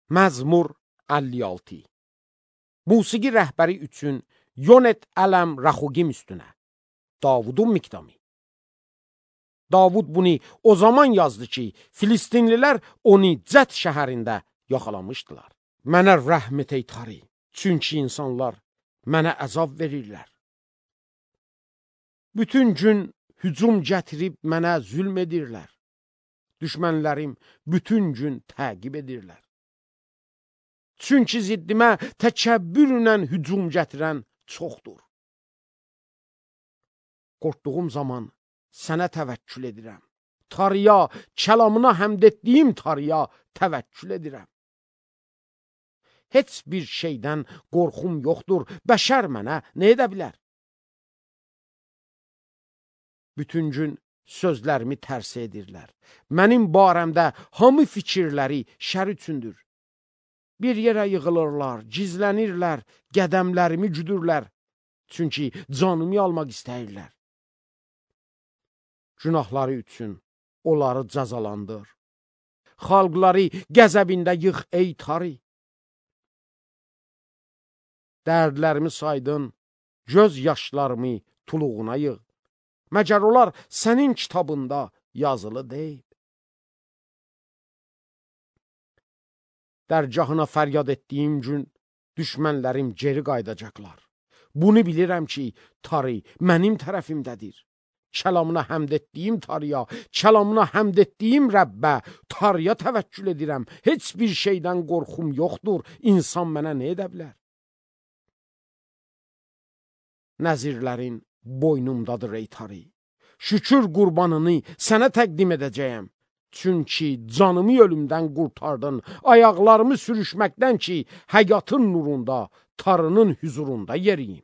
Məzmur 56. Musiqi rəhbəri üçün Yonet ələm Raxugim üstünə. Davudun miqdamı. Davud bunu o zaman yazdı ki, Filistinlilər onu Cət şəhərində yaxalamışdılar. Mənə rəhm et ey Tari, çünki insanlar mənə əzab verirlər. Bütün gün hücum gətirib mənə zülm edirlər. Düşmənlərim bütün gün təqib edirlər. Çünki ziddimə təkəbbürlə hücum gətirən çoxdur. Qorxduğum zaman sənə təvəkkül edirəm. Tarıya, kəlamına həmd etdiyim Tarıya təvəkkül edirəm. Heç bir şeydən qorxum yoxdur, bəşər mənə nə edə bilər? Bütün gün sözlərimi tərsə edirlər. Mənim barəmdə hamı fikirləri şər üçündür. Bir yerə yığılırlar, gizlənirlər, qədəmlərimi güdürlər. Çünki canımı almaq istəyirlər. Günahları üçün onları cəzalandır. Xalqları qəzəbində yığ ey Tarı. Dərdlərimi saydın, göz yaşlarımı tuluğuna yığ. Məgər onlar sənin kitabında yazılı deyil. Dərgahına fəryad etdiyim gün düşmənlərim geri qaydacaqlar. Bunu bilirəm ki, Tarı mənim tərəfimdədir. Kəlamına həmd etdiyim Tarıya, kəlamına həmd etdiyim Rəbbə, Tarıya təvəkkül edirəm. Heç bir şeydən qorxum yoxdur. İnsan mənə nə edə bilər? Nəzirlərin boynumdadır ey Tarı. Şükür qurbanını sənə təqdim edəcəyəm. Çünki canımı ölümdən qurtardın, ayaqlarımı sürüşməkdən ki, həyatın nurunda, Tarının hüzurunda yeriyim.